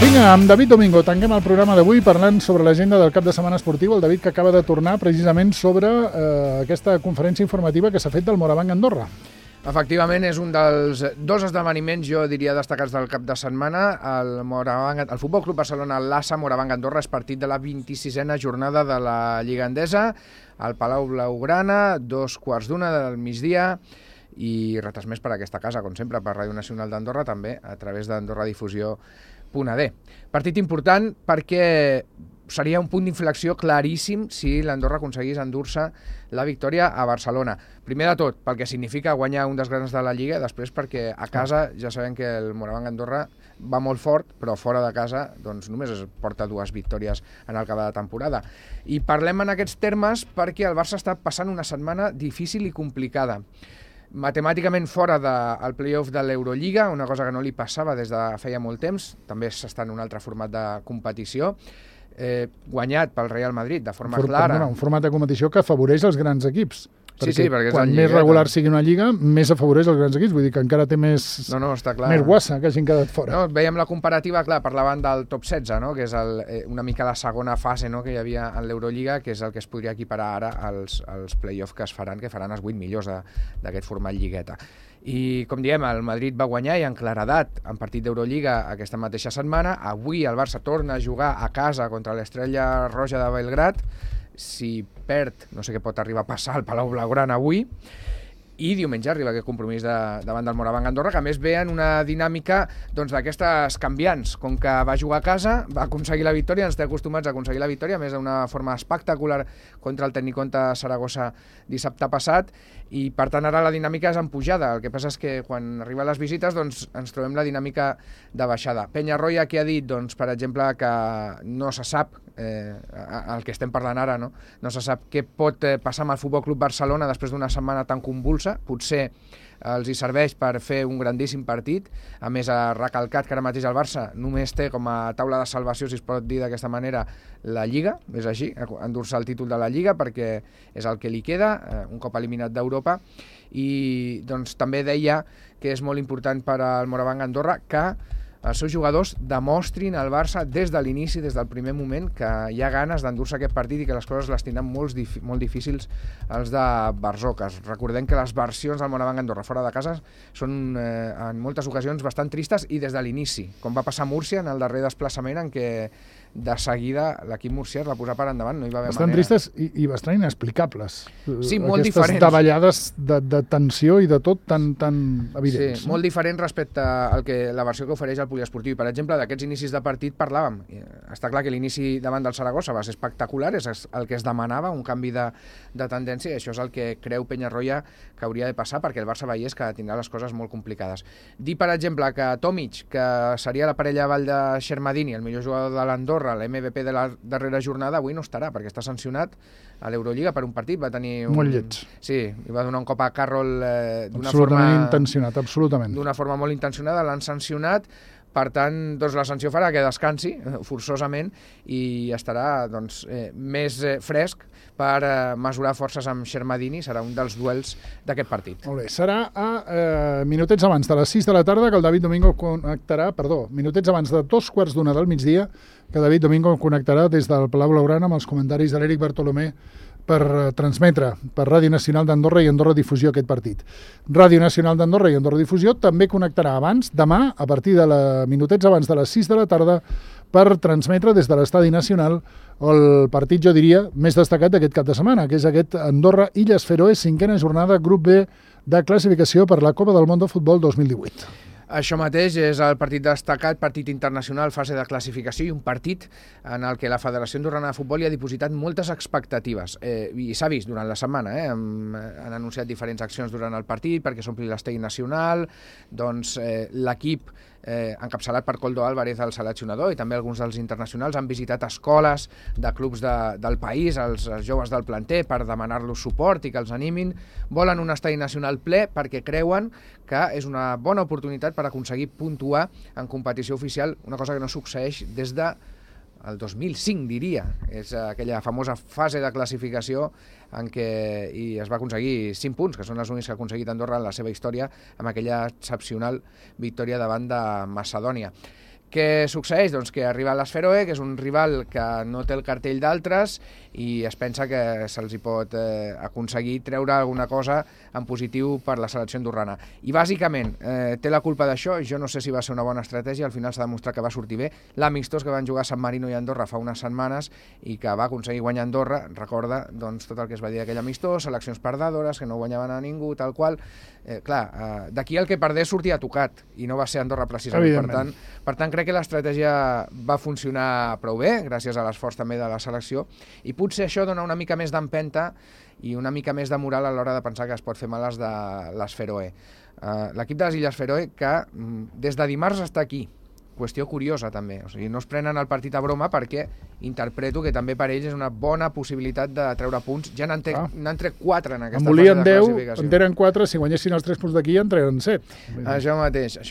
Vinga, amb David Domingo tanquem el programa d'avui parlant sobre l'agenda del cap de setmana esportiu. El David que acaba de tornar precisament sobre aquesta conferència informativa que s'ha fet del Morabanc Andorra. Efectivament, és un dels dos esdeveniments, jo diria, destacats del cap de setmana. El Futbol Club Barcelona Lassa Morabanc Andorra és partit de la 26a jornada de la Lliga Endesa al Palau Blaugrana, 2:15 del migdia, i retransmès per aquesta casa, com sempre, per Ràdio Nacional d'Andorra, també a través d'AndorraDifusió.d. Partit important perquè seria un punt d'inflexió claríssim si l'Andorra aconseguís endur-se la victòria a Barcelona. Primer de tot, pel que significa guanyar un dels grans de la Lliga, després perquè a casa ja sabem que el Morabanc Andorra va molt fort, però fora de casa doncs, només es porta 2 victòries en el acabar de temporada. I parlem en aquests termes perquè el Barça està passant una setmana difícil i complicada. Matemàticament fora del play-off de l'Eurolliga, una cosa que no li passava des de feia molt temps, també s'està en un altre format de competició, guanyat pel Real Madrid de forma clara. Un format de competició que afavoreix els grans equips. Sí, perquè quan més regular sigui una lliga, més afavoreix els grans equips. Vull dir que encara té més guassa que hagin quedat fora. No, veiem la comparativa, clar, parlaven del top 16, no? Que és una mica la segona fase, no? Que hi havia en l'Eurolliga, que és el que es podria equiparar ara als play-offs que faran els 8 millors d'aquest format lligueta. I, com diem, el Madrid va guanyar i en claredat en partit d'Eurolliga aquesta mateixa setmana. Avui el Barça torna a jugar a casa contra l'Estrella Roja de Belgrad. Si perd, no sé què pot arribar a passar al Palau Blaugrana avui. I diumenge arriba aquest compromís davant del Morabanc Andorra, que a més ve en una dinàmica d'aquestes canviants. Com que va jugar a casa, va aconseguir la victòria, ens té acostumats a aconseguir la victòria, a més d'una forma espectacular contra el Tecniconte Saragossa dissabte passat, i per tant ara la dinàmica és en pujada. El que passa és que quan arriben les visites doncs, ens trobem la dinàmica de baixada. Peñarroya, que ha dit, doncs, per exemple, que no se sap, el que estem parlant ara, no se sap què pot passar amb el Futbol Club Barcelona després d'una setmana tan convulsa. Potser els hi serveix per fer un grandíssim partit. A més, ha recalcat que ara mateix el Barça només té com a taula de salvació, si es pot dir d'aquesta manera, la Lliga, és així, endur-se el títol de la Lliga perquè és el que li queda, un cop eliminat d'Europa. I doncs, també deia que és molt important per al Morabanc Andorra que els seus jugadors demostrin al Barça des de l'inici, des del primer moment, que hi ha ganes d'endur-se aquest partit i que les coses les tindran molt difícils els de Barzoques. Recordem que les versions del Morabanc Andorra fora de casa són en moltes ocasions bastant tristes i des de l'inici, com va passar a Múrcia en el darrer desplaçament en què de seguida l'equip murcià es va posar per endavant, no hi va haver bastant manera. Tristes i bastant inexplicables. Sí, molt diferents. Aquestes davallades de tensió i de tot tan evidents. Sí, molt diferent respecte al que la versió que ofereix el poliesportiu. Per exemple, d'aquests inicis de partit parlàvem. Està clar que l'inici davant del Saragossa va ser espectacular, és el que es demanava, un canvi de tendència, i això és el que creu Peñarroya que hauria de passar perquè el Barça veiés que tindrà les coses molt complicades. Dir, per exemple, que Tomic, que seria la parella avall de Shermadini, el millor jugador de l'Andorra, l'MVP de la darrera jornada, avui no estarà perquè està sancionat a l'Eurolliga per un partit. Va tenir molt lleig. Sí, i va donar un cop a Carroll d'una forma molt intencionada, l'han sancionat. Per tant, doncs la sanció farà que descansi forçosament i estarà doncs, més fresc per mesurar forces amb Shermadini. Serà un dels duels d'aquest partit. Molt bé, serà a minutets abans de les 6 de la tarda que el David Domingo connectarà, minutets abans de 2:15 del migdia, que David Domingo connectarà des del Palau Blaugrana amb els comentaris de l'Eric Bartolomé per transmetre per Ràdio Nacional d'Andorra i Andorra Difusió aquest partit. Ràdio Nacional d'Andorra i Andorra Difusió també connectarà demà, a partir de minutets abans de les 6 de la tarda, per transmetre des de l'Estadi Nacional el partit, jo diria, més destacat d'aquest cap de setmana, que és aquest Andorra-Illes Feroe, 5a jornada, grup B de classificació per la Copa del Món de Futbol 2018. Això mateix és el partit destacat, partit internacional, fase de classificació, i un partit en el que la Federació Andorrana de Futbol hi ha dipositat moltes expectatives. I s'ha vist durant la setmana, han anunciat diferents accions durant el partit perquè s'ompli l'estadi nacional, doncs l'equip encapçalat per Koldo Álvarez, el seleccionador, i també alguns dels internacionals han visitat escoles de clubs del país, els joves del planter, per demanar-los suport i que els animin. Volen un estadi nacional ple perquè creuen que és una bona oportunitat per aconseguir puntuar en competició oficial, una cosa que no succeeix des de el 2005, diria. És aquella famosa fase de classificació en què es va aconseguir 5 punts, que són els únics que ha aconseguit Andorra en la seva història, amb aquella excepcional victòria davant de Macedònia. Què succeeix? Doncs que arriba a l'Esferoe, que és un rival que no té el cartell d'altres i es pensa que se'ls hi pot aconseguir treure alguna cosa en positiu per la selecció andorrana. I bàsicament té la culpa d'això, jo no sé si va ser una bona estratègia, al final s'ha demostrat que va sortir bé, l'amistós que van jugar a San Marino i Andorra fa unes setmanes i que va aconseguir guanyar Andorra, recorda doncs, tot el que es va dir d'aquell amistós, seleccions perdedores, que no guanyaven a ningú, tal qual. D'aquí el que perdés sortia tocat i no va ser Andorra precisament. Per tant, crec que l'estratègia va funcionar prou bé, gràcies a l'esforç també de la selecció, i potser això dona una mica més d'empenta i una mica més de moral a l'hora de pensar que es pot fer males de l'Esferoe. L'equip de les Illes Feroe, que des de dimarts està aquí, qüestió curiosa també, o sigui, no es prenen el partit a broma perquè interpreto que també per ells és una bona possibilitat de treure punts. Ja n'han tret 4 en aquesta fase de classificació. En tenen 4, si guanyessin els 3 punts d'aquí en trenen 7. Això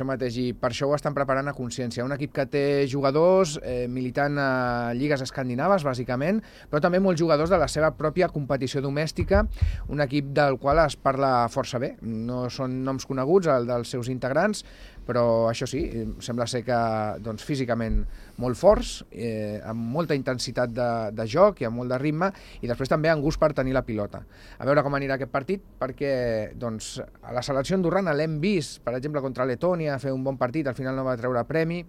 mateix, i per això ho estan preparant a consciència. Un equip que té jugadors militant a lligues escandinaves, bàsicament, però també molts jugadors de la seva pròpia competició domèstica, un equip del qual es parla força bé. No són noms coneguts, el dels seus integrants, però això sí, sembla ser que doncs, físicament molt forts, amb molta intensitat de joc i amb molt de ritme, i després també amb gust per tenir la pilota. A veure com anirà aquest partit, perquè doncs, a la selecció andorrana l'hem vist, per exemple, contra Letònia, fer un bon partit, al final no va treure premi,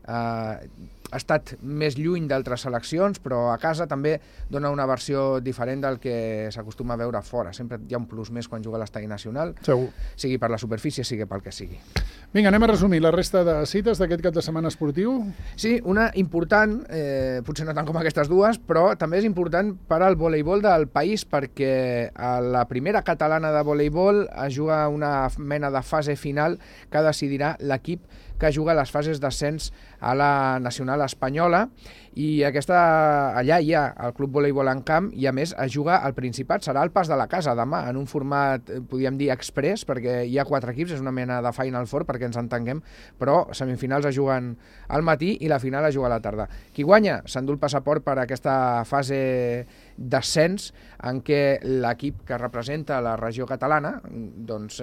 ha estat més lluny d'altres seleccions, però a casa també dona una versió diferent del que s'acostuma a veure fora. Sempre hi ha un plus més quan juga a l'estadi nacional, segur, sigui per la superfície, sigui pel que sigui. Vinga, anem a resumir la resta de cites d'aquest cap de setmana esportiu. Sí, una important, potser no tant com aquestes dues, però també és important per al voleibol del país, perquè a la primera catalana de voleibol es juga una mena de fase final que decidirà l'equip que juga les fases d'ascens a la nacional espanyola, i allà hi ha el Club Voleibol en Camp, i a més es juga al Principat, serà el pas de la casa demà, en un format, podríem dir, express, perquè hi ha 4 equips, és una mena de Final Four, perquè ens entenguem, però semifinals es juguen al matí i la final es juga a la tarda. Qui guanya s'endú el passaport per aquesta fase d'ascens en què l'equip que representa la regió catalana doncs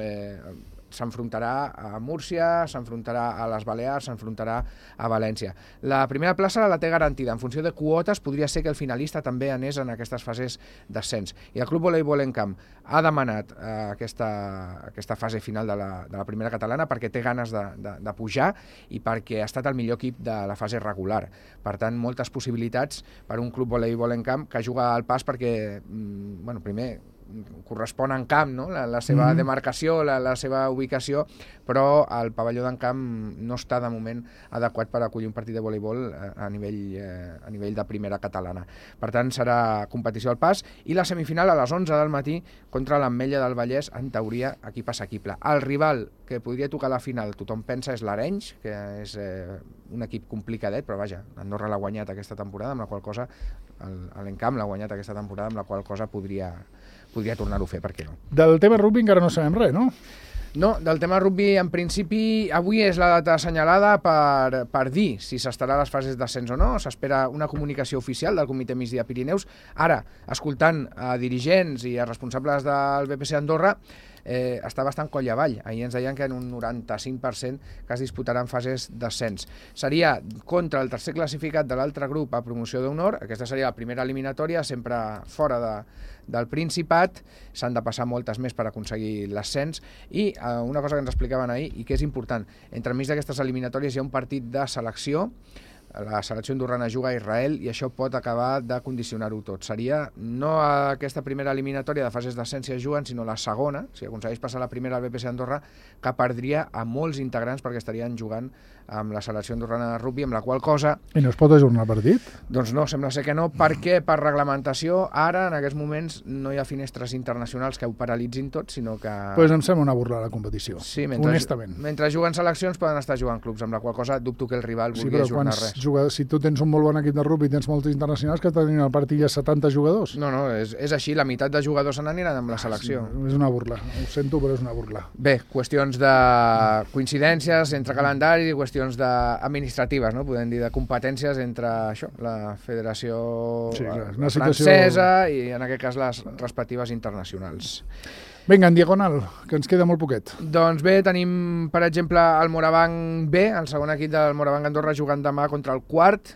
s'enfrontarà a Múrcia, s'enfrontarà a les Balears, s'enfrontarà a València. La primera plaça la té garantida. En funció de quotes podria ser que el finalista també anés en aquestes fases d'ascens. I el Club Voleibol en Camp ha demanat aquesta fase final de la primera catalana perquè té ganes de pujar i perquè ha estat el millor equip de la fase regular. Per tant, moltes possibilitats per un Club Voleibol en Camp que juga al pas perquè, primer, correspon en camp, no? La seva demarcació, la seva ubicació, però el pavelló d'en camp no està de moment adequat per acollir un partit de voleibol a nivell de primera catalana. Per tant, serà competició al pas, i la semifinal a les 11 del matí contra l'Ametlla del Vallès, en teoria equip assequible. El rival que podria tocar la final, tothom pensa, és l'Arenys, que és un equip complicadet, però vaja, Andorra l'ha guanyat aquesta temporada, amb la qual cosa l'Encamp l'ha guanyat aquesta temporada, amb la qual cosa podria tornar-ho a fer, per què no? Del tema rugby encara no sabem res, no? No, del tema rugby, en principi, avui és la data assenyalada per dir si s'estarà a les fases d'ascens o no. S'espera una comunicació oficial del Comitè Migdia Pirineus. Ara, escoltant a dirigents i a responsables del BPC Andorra, està bastant coll avall. Ahir ens deien que en un 95% que es disputaran fases d'ascens. Seria contra el tercer classificat de l'altre grup a promoció d'honor. Aquesta seria la primera eliminatòria, sempre fora del Principat. S'han de passar moltes més per aconseguir l'ascens. I una cosa que ens explicaven ahir, i que és important, entremig d'aquestes eliminatòries hi ha un partit de selecció. La selecció andorrana juga a Israel i això pot acabar de condicionar-ho tot. Seria no aquesta primera eliminatòria de fases d'ascens si es juguen, sinó la segona, si aconsegueix passar la primera al BPC Andorra, que perdria a molts integrants perquè estarien jugant amb la selecció andorrana de rugby, amb la qual cosa... I no es pot ajornar el partit? Doncs no, sembla ser que no, perquè per reglamentació ara, en aquests moments, no hi ha finestres internacionals que ho paralitzin tot, sinó que... Pues em sembla una burla la competició, sí, honestament. Mentre juguen seleccions poden estar jugant clubs, amb la qual cosa dubto que el rival vulgui ajornar res. Si tu tens un molt bon equip de rugby i tens molts internacionals, que tenien al partit ja 70 jugadors. No, és així, la meitat de jugadors se n'aniran amb la selecció. Sí, és una burla, ho sento, però és una burla. Bé, qüestions de coincidències entre calendari, qüestions administratives, no? Podem dir de competències entre això, la federació francesa i en aquest cas les respectives internacionals. Vinga, en diagonal, que ens queda molt poquet. Doncs bé, tenim, per exemple, el Morabanc B, el segon equip del Morabanc Andorra, jugant demà contra el quart.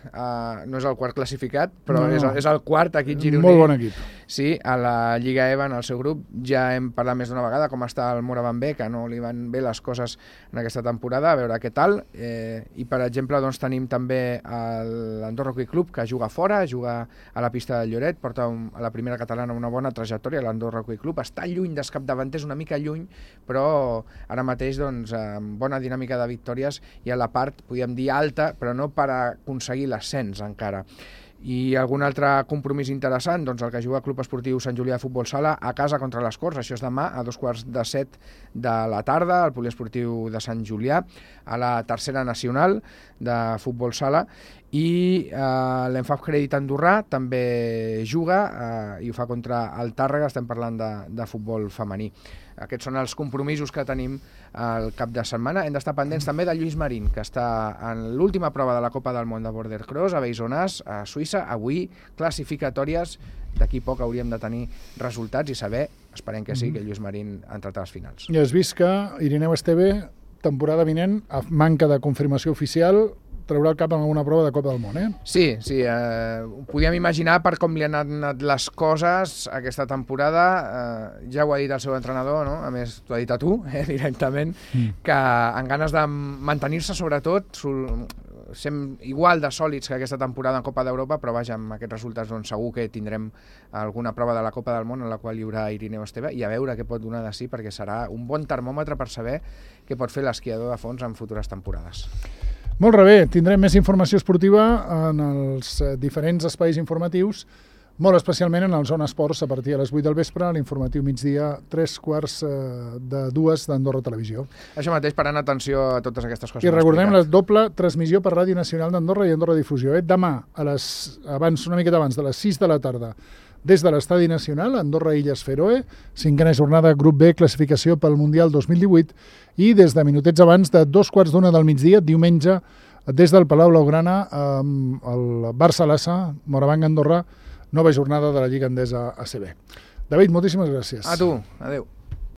No és el quart classificat, però és el quart equip gironí. Molt bon equip. Sí, a la Lliga EVA, en el seu grup, ja hem parlat més d'una vegada com està el Morabanc B, que no li van bé les coses en aquesta temporada, a veure què tal. I, per exemple, doncs, tenim també l'Andorra Hockey Club, que juga fora, juga a la pista del Lloret, porta a la primera catalana una bona trajectòria, l'Andorra Hockey Club. Està lluny dels capdavanters, una mica lluny, però ara mateix doncs, amb bona dinàmica de victòries i a la part, podríem dir, alta, però no per aconseguir l'ascens encara. I algun altre compromís interessant, doncs el que juga el Club Esportiu Sant Julià de Futbol Sala a casa contra les Corts, això és demà a 2:15 de la tarda, al Poliesportiu de Sant Julià, a la tercera nacional de Futbol Sala, i l'Enfaf Crèdit Andorrà també juga i ho fa contra el Tàrrega, estem parlant de futbol femení. Aquests són els compromisos que tenim al cap de setmana. Hem d'estar pendents també de Lluís Marín, que està en l'última prova de la Copa del Món de Border Cross a Beisonàs, a Suïssa. Avui classificatòries, d'aquí poc hauríem de tenir resultats i saber, esperem que sí, que Lluís Marín ha entrat a les finals. I has vist que Irineu Esteve, temporada vinent, a manca de confirmació oficial, traurà el cap en alguna prova de Copa del Món, Sí, ho podíem imaginar per com li han anat les coses aquesta temporada. Ja ho ha dit el seu entrenador, no? A més, t'ho ha dit a tu, directament, que amb ganes de mantenir-se, sobretot, sem igual de sòlids que aquesta temporada en Copa d'Europa, però vaja, amb aquests resultats doncs, segur que tindrem alguna prova de la Copa del Món en la qual hi haurà Irineu Esteve, i a veure què pot donar de sí, perquè serà un bon termòmetre per saber què pot fer l'esquiador de fons en futures temporades. Molt bé, tindrem més informació esportiva en els diferents espais informatius, molt especialment en el Zona Esports a partir de les 8 del vespre, a l'informatiu migdia, 3:45 d'Andorra Televisió. Això mateix, parant atenció a totes aquestes coses. I recordem la doble transmissió per Ràdio Nacional d'Andorra i Andorra Difusió. Demà, una miqueta abans de les 6 de la tarda, des de l'Estadi Nacional, Andorra Illes Feroe, 5a jornada Grup B, classificació pel Mundial 2018, i des de minutets abans de 2:15 del migdia, diumenge, des del Palau Blaugrana, el Barça-Lassa, Morabanc Andorra, nova jornada de la Lliga Endesa ACB. David, moltíssimes gràcies. A tu, adeu.